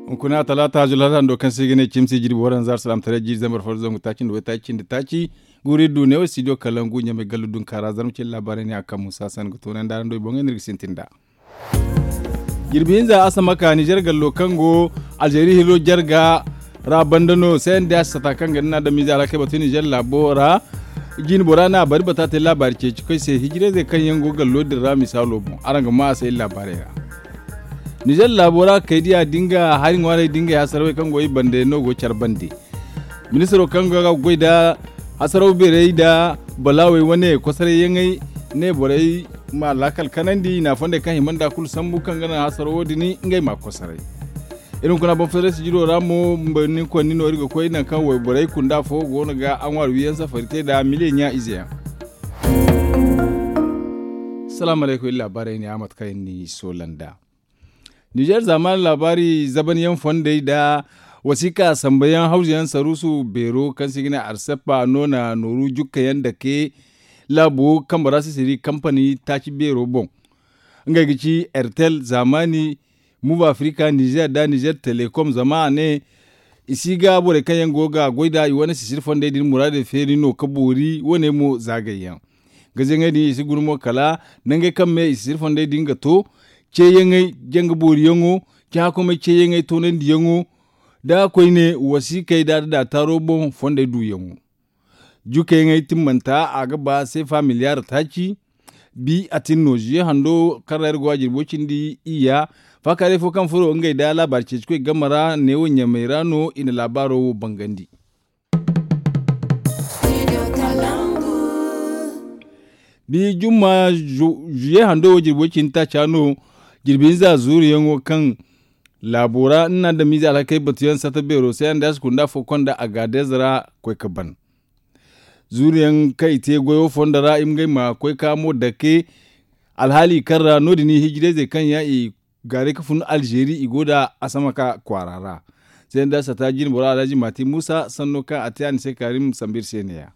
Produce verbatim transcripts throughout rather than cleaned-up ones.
Hunkuna talaata zulhar hando kaŋ se i ga ne cimsi jirbi waranza salaamtaray jiiri zambar fo da zangu taaci nda waytaaci cindi taaci. Guuri du ne wo studio kalangu ɲamay gallu dunka ra zarma cindi laabaarey ne a kaŋ musa san ga toonandi araŋ do i boŋey no iri ga sintin nd'a. Jirbi hinza asamaka nizer gallo kaŋ go alzeeri hilo jarga ra banda no cnds sata kaŋ ga nda na adamize alhakey batu nizer laabo ra. Jiine bora na bari bata te laabaari ceeci koy se hijirayzey kaŋ yaŋ go gallo din ra misaalo boŋ araŋ ga maa a se iri laabaarey ra. Nizer laabo ra kay diya dinga hari ŋwaarey dingay hasarawey kaŋ go i bande no go care bande. Ministiro kaŋ ga goy nda hasaraw beerey nda balaawey wane kosaray yaŋey ne borey ma laakal kanandi i na fondey kaŋ hima nda kulu sambu kaŋ ga naŋ hasarawo din ngey ma kosaray. Iri hunkuna boŋ federasi jiro ra mo mba ni konni no iri ga koy nangu kaŋ wayborey kunda fo go no ga a ŋwaari wiyaŋ safari te nda miliyeŋ ɲa ize yaŋ. Salaamu alaykum iri laabaarey ne a mate kaŋ iri ni soola nd'a. Nizer zaamaani laabaari zabanyaŋ fondey nda wasiika sambayaŋ hawzuyaŋ saruusu beero kaŋ se i ga ne arseppa no na nooru jukkayaŋ dake laabo kambe ra sisiri kampani taaci beero boŋ. Ngey ga ci ertel zaamaani, muva afrika nizer nda nizer telekom zama a ne i si ga borey kaŋ yaŋ go ga goy nd'a i wane sisiri fondey din muraadey feeri no ga boori wane mo zaagay yaŋ. Gazaŋey din i si guna mo kala nangey kaŋ me i sisiri fondey din ga to ceeyaŋey janga booriyaŋo cahãkomey ceeyaŋey toonandiyaŋo nda koyne wasiikey nda adada taaro boŋ fondey duuyaŋo. Jukayaŋey timmanta a ga ba seefa miliyaar taaci. Bi a tin no ziye hando kaŋ ra iri go a jirbo cindi iyya. Faakaaray fo kaŋ furo ngey nda laabaari ceeci koy game ra neewo ɲamey ra no i na laabaaro wo bangandi. Bi jumma ziye hando wo jirbo cindi taaca no. Jirbi hinza zuuruyaŋo kaŋ laabo ra ni na adamize alhakey batuyaŋ sata beero se yaŋ da a si kunda fo konda agaadez ra koy ga ban. Zuuruyaŋ kaŋ i te goyo fondo ra i ma ngey ma koy ka mo dake. Alhaali kaŋ ra no- din i hijirayzey kaŋ yaŋ i gaaray ga fun alzeeri i go nda asamaka kwaara ra. Seenda sata jine boro alhaji maati muusa sanno kaŋ a te a na se kaarim sambu iri se ne- ya.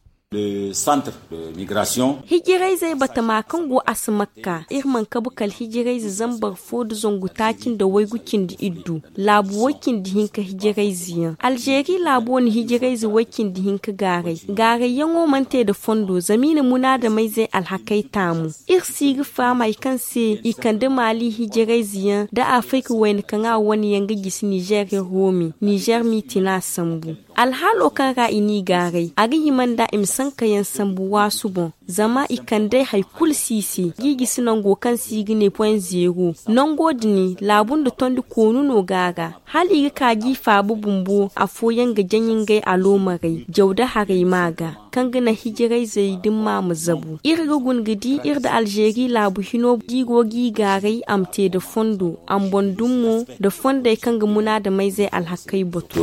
Hijirayzey batama kaŋ go asamakka iri mana kabu kala hijirayze zambar fo nda zangu taaci nda waygu cindi iddu. Laabu way cindi hinka hijirayze yaŋ alzeeri laabo na hijirayze way cindi hinka gaaray. Gaarayyaŋo mana te nda fondo zama i na munaadamayzey alhakey taamu. Iri si ga faham hari kaŋ se i kande maali hijirayze yaŋ nda afirka wayna kaŋ a wane yaŋ ga gisi nizer iri wo me nizer m'i tina sambu. Alhaalo kaŋ ra i n'i gaaray a ga hima nda i ma sanka yaŋ sambu waasu boŋ. Zama i kand'ey hari kulu si i se g'i gisi nango kaŋ se i ga ne point zero. Nango din laabu nda tondi koonu no go a ra. Hala i ga ka g'i faaba bumbo afooyaŋ ga jaŋ ngey aloomarey jaw nda haray ma ga kaŋ ga naŋ hijirayzey dimma ma zabu iri ga guna ga di iri nda alzeeri laabu hino d'i go g'i gaaray a ma te nda fondo a ma boŋ dum mo nda fondey kaŋ ga munaadamayzey alhakey batu.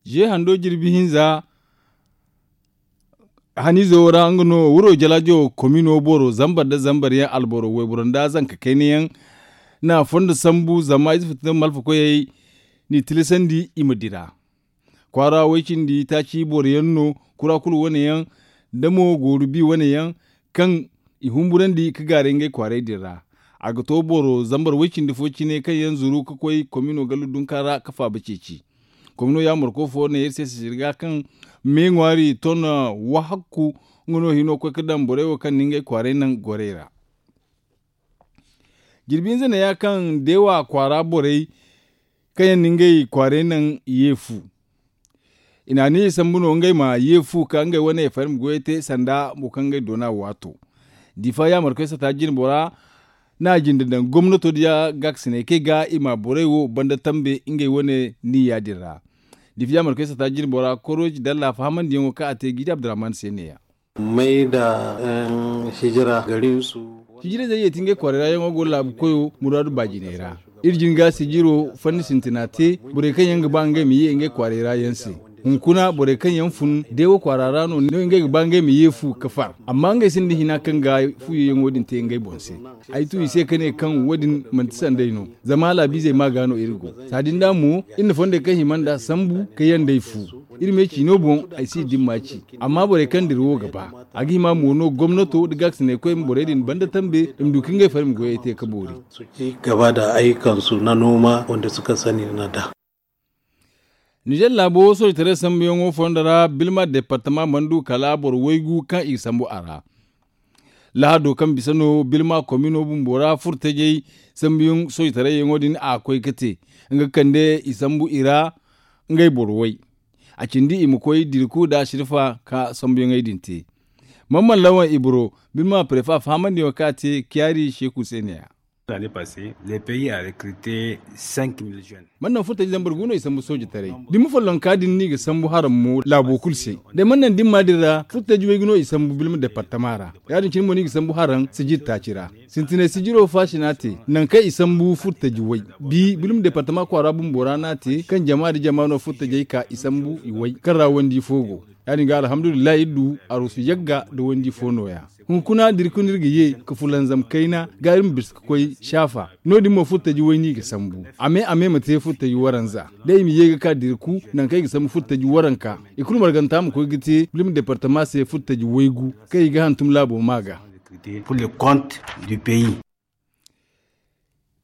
Ziye hando jirbi hinza haniizo wo ra nga no wuro jalaajo komino boro zambar nda zambar yaŋ alboro wayboro nda zanka kayna yaŋ na fondo sambu zama ize fitino malfa koyey n'i tilasandi i ma dira. Kwaara way cindi taaci boro yaŋ no kura kulu wane yaŋ da mo gooru bi wane yaŋ kaŋ i humburandi ga gaaray ngey kwaaray din ra. A ga to boro zambar way cindi fo cine kaŋ yaŋ zuru ga koy komino gallu dunka ra ga faaba ceeci. Komino yaamar koy fo ne iri se sisiri ga kaŋ me ŋwaari ton wahakku nga no hino koy ga daŋ borey wo kaŋ na ngey kwaaray naŋ gorey ra. Jirbi hinza ne ya kaŋ deewa kwaara borey kaŋ yaŋ na ngey kwaaray naŋ ye fu. I na aniya sambu no ngey ma ye fu ka ngey wane fari ma goyey te sanda mo kaŋ ngey doona waato. Difa yaamarkoy sata jine bora na a jinde daŋ gomnato diya gaakasinay kaŋ i ga i ma borey wo banda tambe ngey wane niya din ra. Difa yaamarkoy sata jine bora koroji dalla fahamandiyaŋo kaŋ a te gidi abdurrahman se ne ya. May da hijira garinsu. Hijirayzey ye ti ngey kwaarey ra yaŋo go laabu koyo muraadu baajiney ra. Iri jin ga sijiro fanni sintina te borey kaŋ yaŋ ga ba ngey ma ye ngey kwaarey ra yaŋ se. Hunkuna borey kaŋ yaŋ fun deewo kwaara ra no ngey ga ba ngey ma ye fu ga far, amma ngey sinda hina kaŋ ga fuyayaŋo din te ngey boŋ se. Ay tu i se ka ne kaŋ wo- din manti sanday no, zama laabiizey ma ga no iri go. Saadin da mo iri na fondey kaŋ hima nd'a sambu ka yandey fu. Iri me ciino boŋ, ay si dimma ci. Amma borey kaŋ dira wo ga ba, a ga hima mo no gomnato nda gaakasinaykoy ma borey din banda tambe i ma du ka ngey farmi goyey te ka boori. Gaba da ayyukansu na noma wanda suka sani na da. Nizer laabo soojitaray sambuyaŋo fondo ra bilma departama mana du kala boro waygu kaŋ i ga sambu a ra. Lahado kaŋ bisa no bilma komino bumbo ra furtajey sambuyaŋ soojitaray yaŋo din a koy ga te, nga ga kande i sambu i ra ngey boro way. A cindi i ma koy dirku nda sirfa ka sambuyaŋey din te. Mamman lawan ibro, bilma prefa fahamandiyaŋo kaŋ a te kiyaari seeku se ne-ya. Mana naŋ furtaji zambar gu no i sambu soojitaray. Dimma follonka din no i ga sambu haraŋ mo laabo kulu se. Day mana naŋ dimma din ra furtaji waygu no i sambu bilma departama ra. Ya- din cine mo no i ga sambu haraŋ sijir taaci ra. Sintinay sijiro faasina te naŋ kaŋ i sambu furtaji way. Bi bilma departama kwaara bumbo ra no a te kaŋ jama nda jama no furtajey ka i sambu i way kaŋ ra wandi fo go. Ya- din ga alhamdulillahi iri du arusu yagga nda wandi fo nooya. Hunkuna dirku no iri ga ye ka fulanzam kayna ga iri ma bisa ka koy saafa. No- din mo furtaji way no i ga sambu a me a me ma te furtaji waranza. Da i ma ye ga ka dirku naŋ kaŋ i ga sambu furtaji waranka i kulu marganta ma koy ga te bilma departama se furtaji waygu kaŋ i ga hantum laabo ma ga.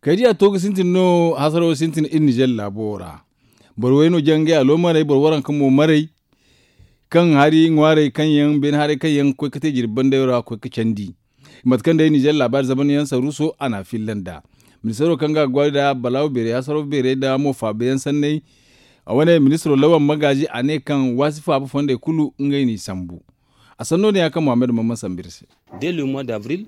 Kaydiya to ga sintin no hasaro sintin iri nizer laabo ra. Boro way no jaŋ ngey aloomaray boro waranka mo maray. Kaŋ hari ŋwaarey kaŋ yaŋ beene haray kaŋ yaŋ ga koy ga te jirbi bandayo ra ga koy ga candi. Mate kaŋ day nizer laabaari zamanyaŋ saruuso a n'a filla nd'a. Ministaro kaŋ ga a gwaari nda balaawo beerey hasaro beerey nda mo faabayaŋ sanney. A wane ministaro lawan magaazi a ne kaŋ waasi faaba fondey kulu ngey n'i sambu. A sanno ne ya kaŋ muhammad mamman sambu iri se.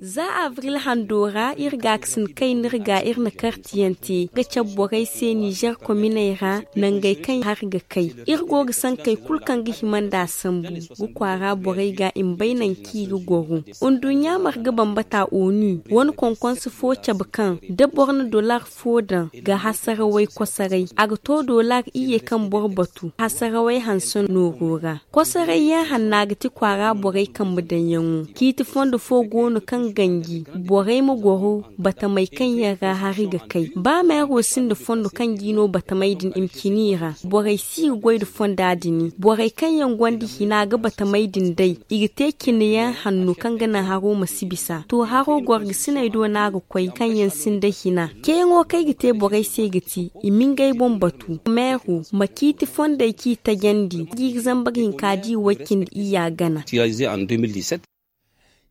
Za abril hando ra iri gaakasin kayna iri ga iri na kartiyaŋ te ga cabe borey se nizer kominey ra. Nangey kaŋ hari ga kay iri go ga sankey kulu kaŋ ga hima nd'a sambu ga kwaara borey ga i ma bay naŋ kaŋ i ga goro. Nduɲɲa marga bambata onu wane konkonse fo cabe kaŋ da boro na dolar fo daŋ ga hasarawey kosoray a ga to dolar iyye kaŋ boro batu hasarawey hanse nooro ra. Kosoray yaŋ hanna ga ti kwaara borey kambe daŋyaŋo. Ciiti fondo fo go no kaŋ ganji borey ma goro batamey kaŋ yaŋ ra hari ga kay ba meero sinda fondo kaŋ ga i no batamey din i ma cina i ra borey si ga goy nda fonda din. Borey kaŋ yaŋ gonda hina ga batamey din day i ga te cinayaŋ hanno kaŋ ga naŋ haro ma si bisa to haro gorgasiney do no a ga koy kaŋ yaŋ sinda hina. Ceeyaŋo kaŋ ay ga te borey se ga ti i ma ngey boŋ batu meero ma ciiti fondey kaŋ i tajandi jiiri zambar hinka da i way cindi iyya gana.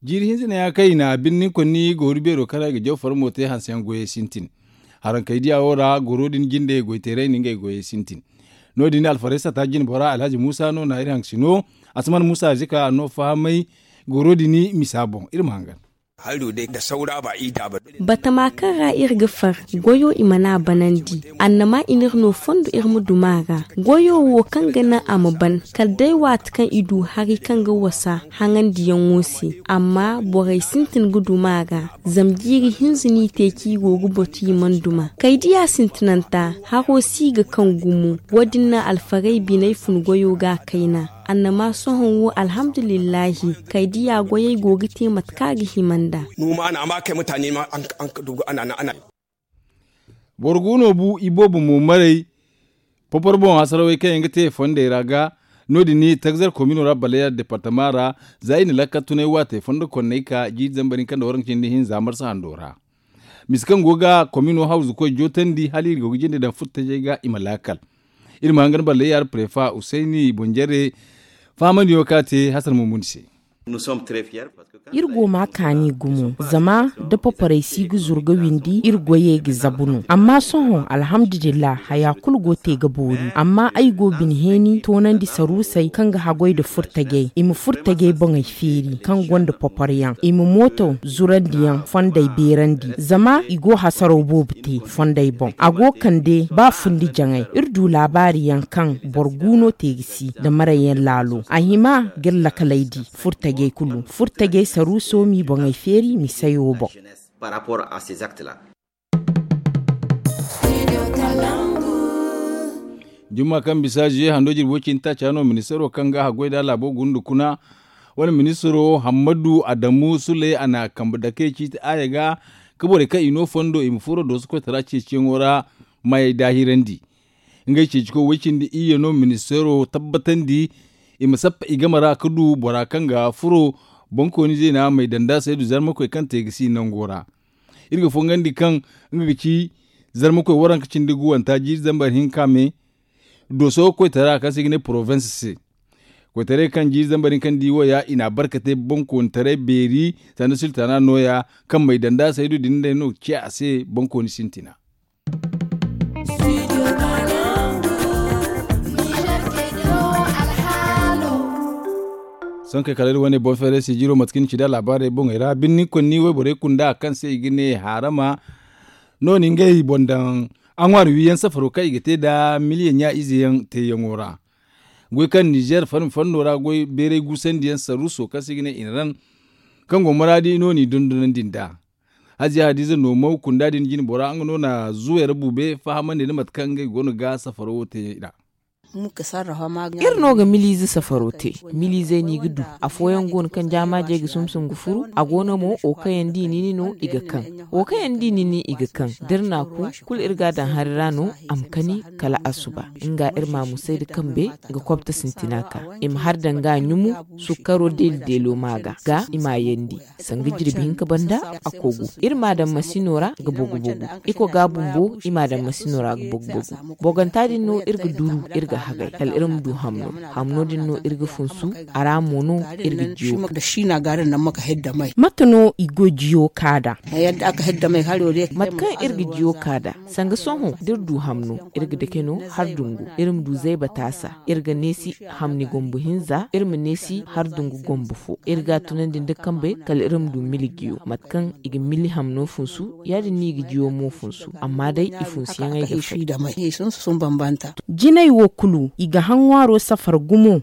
Jiiri hinza ne ya kaŋ i na birni konni gooru beero kaŋ ra i ga jaw farmo te hanseyaŋ goyey sintin. Haraŋ kay diya wo ra goro din jinde goyteerey na ngey goyey sintin. No- din alfarey sata jine bora alhaji muusa no na iri haŋ sino. Asman muusa zika a no fahamay goro din misa boŋ iri ma hangan. Batama kaŋ ra iri ga far goyo i mana banandi. Annama i n'iri no fondo iri ma duma a ra. Goyo wo kaŋ ga naŋ a ma ban kala day waati kaŋ i du hari kaŋ ga wasa haŋandiyaŋo se. Amma borey sintin ga duma a ra. Zama jiiri hinza no i te kaŋ i go ga batu i mana duma kay diya sintinanta haro si ga kaŋ gumo. Wo- din naŋ alfarey biney fun goyo ga a kayna. Annama sohõ wo alhamdulillahi kay diya goyey go ga te mate kaŋ a ga hima nd'a. Boro gu no bu iboobo mo maray. Popor boŋ hasarawey kaŋ yaŋ ga te fondey ra ga no- din ni tagzar komino ra baleya departama ra. Za i na lakkal tunay waatey fondo konney ka jiiri zambar hinka nda waranka cindi hinza marsa hando ra. Mise kaŋ go ga komino hawzu koy jootandi hala iri go ga jinde daŋ furtajey ga i ma laakal. Iri ma hangan baleya ra prefa husayni boŋ jare fahamandiyaŋo kaŋ a te hasan mumuni se. Iri go ma kaani gumo zama da paparey si ga zuru ga windi iri goyey ga zabu no amma sohõ alhamdulillah haya kulu go te ga boori amma ay go bine heeni toonandi saruusey kaŋ ga haggoy nda furtajey i ma furtajey boŋey feeri kaŋ gonda paparyaŋ i ma mooto zurandiyaŋ fondey beerandi zama i go hasaraw boobo te fondey boŋ a go kande ba fundi jaŋay iri du laabaari yaŋ kaŋ boro gu no te ga si nda marayyaŋ laalo a hima ga iri lakaley di furtajey kulu furtajey saruuso m'i boŋey feeri misayo boŋ. Par rapport à ces actes là. Jumma kaŋ bisa zuye hando jirbi way cindi taaca no ministaro kaŋ ga haggoy nda laabo gunda kuna, wane ministaro hammadu adamu suley a na kambe dake ciiti aaya ga, ka borey kaŋ i no fondo i ma furo dooso koytara ceeciyaŋo ra, mayey daahirandi. Ngey ceecikoy way cindi iyye no ministaro tabbatandi, i ma sappa i game ra ka du bora kaŋ ga furo, bonkooni zeena may danda saydu zarmakoy kaŋ te ga si nango ra. Iri ga fongandi kaŋ nga ga ci zarmakoy waranka cindi guwanta jiiri zambar hinka me, dooso koytara kaŋ se i ga ne porowinsi se. Koytaray kaŋ jiiri zambar hinka nda i wo ya i na a barkate bonkoonitaray beeri, sanda sultana nooya, kaŋ may danda saydu din day no ga ciya a se bonkooni sintina. Sohõ kay kala iri wane boŋ feeray sijiro mate kaŋ ni ci nd'a laabaarey boŋey ra birni konni wayborey kunda kaŋ se i ga ne haarama, no ni ngey boŋ daŋ a ŋwaari wiyaŋ safaro kaŋ i ga te nda miliyaŋ ɲa ize yaŋ teeyaŋo ra. Goy kaŋ nizer farmi fanno ra goy beeray guusandiyaŋ saruuso kaŋ se i ga ne inran, kaŋ go maraadi no n'i dondonandi nd'a. Haziya hadiza no maw kunda din jine bora nga no na zuwey ra bube fahamandi nda mate kaŋ ngey go no ga safaro wo te nd'a. Iri no ga miliize safaro te. Miliizey no i ga du. Afooyaŋ go no kaŋ jaamaajey ga sumsum ga furu. A go no mo wo kaŋ yaŋ da i nini no i ga kaŋ. Wo kaŋ yaŋ da i nini i ga kaŋ da iri na a ku, kulu iri ga a daŋ hari ra no a ma kani kala asuba. Nga iri ma a musay nda kambe ga kobta sintina ka i ma har daŋ ga a ɲumu. Sukkaro deeli deelo ma ga ga i ma a yandi. Sanga jirbi hinka banda a kogu iri ma daŋ masino ra ga bogu bogu. Iko ga bumbo i ma daŋ masino ra ga bogu bogu. Boganta din no iri ga duru iri ga hagay kala iri ma du hamno. Hamno din no iri ga funsu. A ra mo no iri ga jiyo. Mate no i go jiyo ka da? Mate kaŋ iri ga jiyo ka da, sanga sohõ da iri du hamno iri ga dake no har dungu iri ma du zayba taasa. Iri ga neesi hamni gombo hinza iri ma neesi har dungu gombo fo. Iri ga a tunandi nda kambe kala iri ma du mili jiyo mate kaŋ i ga mili hamno funsu. Ya- din no i ga jiyo mo funsu amma day i funsuyaŋey ga fay. Jinay wo kulu i ga haŋ ŋwaaro safar gumo.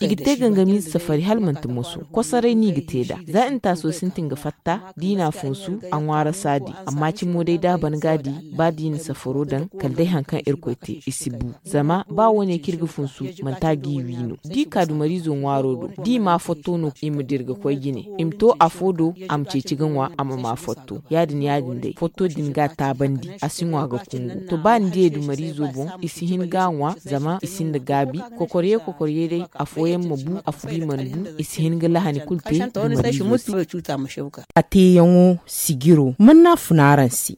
I ga te gangamiize safari hala manti moso. Kosoray no i ga te nd'a za intaaso sintin ga fatta da i na a funsu a ŋwaara saadi. Amma cimo day da a ban ga a di ba da i na safaro daŋ kala day hari kaŋ irkoy te i si bu. Zama ba wo- ne kaŋ iri ga funsu manti a ga i wi no da i ka dumariizo ŋwaaro do da i ma a fotto no i ma dira ga koy jine. I ma to afo do a ma ceeci ga ŋwa a ma ma fotto. Ya- din ya- din day fotto din ga a taabandi a si ŋwa ga kungu to ba ni diyey dumariizo boŋ i si hin ga a ŋwa. Zama i sinda gaabi kokorye kokorye day afooyaŋ ma bu afo da i mana bu i si hin ga lahani kulu te dumariizo se. A teeyaŋo sijiro man no a fun araŋ se?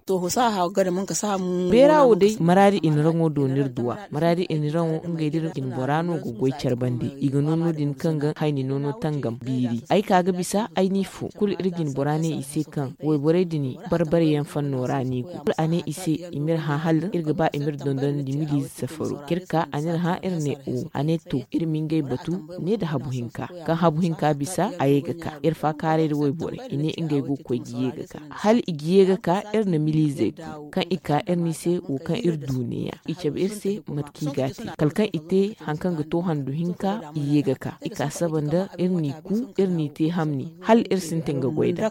Beera wo day maraadi i na raŋo do no iri duwa. Maraadi i na raŋo ngey da iri jine bora no ga goy care bande i ga no no- din kaŋ ga hayni noono tangam biiri ay ka ga bisa ay n'i fo kulu iri jine bora ne i se kaŋ wayborey din barbare yaŋ fanno ra no i go kulu a ne i se i m'iri hã hala iri ga ba i m'iri dondonandi miliize safaro kaŋ iri ka a n'iri hã iri ne o a ne to iri ma ngey batu ne nda habu hinka. Kaŋ habu hinka bisa a ye ga ka iri faakaaray nda wayborey i ne ngey go ga koy ga ye ga ka hala i ga ye ga ka iri na miliizey ku kaŋ i ka iri no i se wo kaŋ iri du neeya i cabe iri se mate kaŋ i ga a te kala kaŋ i te hari kaŋ ga to handu hinka i ye ga ka i ka saba nda iri n'i ku iri n'i te hamni hala iri sintin ga goy nd'a.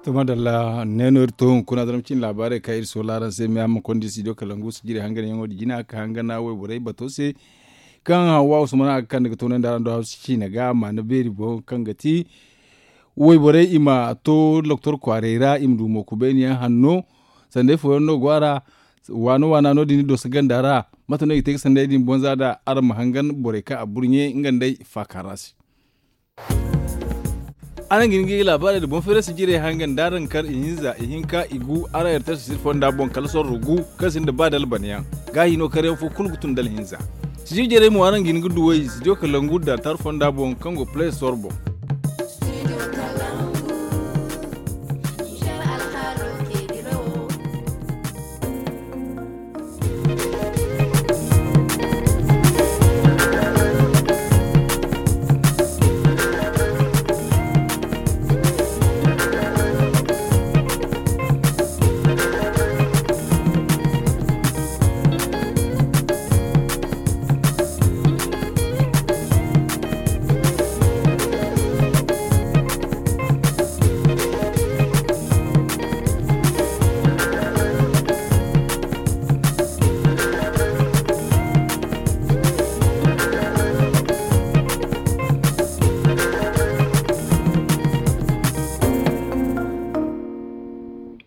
To madalla ne no iri to hunkuna zama cine laabaarey kaŋ iri soola araŋ se me a ma konda studio kalangu sijiri hanganyaŋo din jina ka hangana wayborey bato se kaŋ hawa usman a ga kande ga toonandi araŋ do hawsa ciine ga maana beeri boŋ kaŋ ga ti wayborey i ma to doktor kwaarey ra i ma du mooku beene yaŋ hanno. Sanday fooyaŋ no go a ra waano waana no- din ni doso ganda ra mate no i ga te ga sanday din bonza nda araŋ ma hangan borey kaŋ a burɲe nga nda ay faaka ra se. Araŋ ga hin ga laabaarey nda boŋ feerasi jirey hangan da araŋ kar ihinza ihinka igu araŋ yartar sisir fonda boŋ kala sorro gu kaŋ sinda ba da albanyaŋ. Gaahi no karyaŋ fo kulu ga tun da alhinza sijir jarey mo araŋ ga hin ga duw'ey studio kalangu da tar fonda boŋ kaŋ go play store boŋ.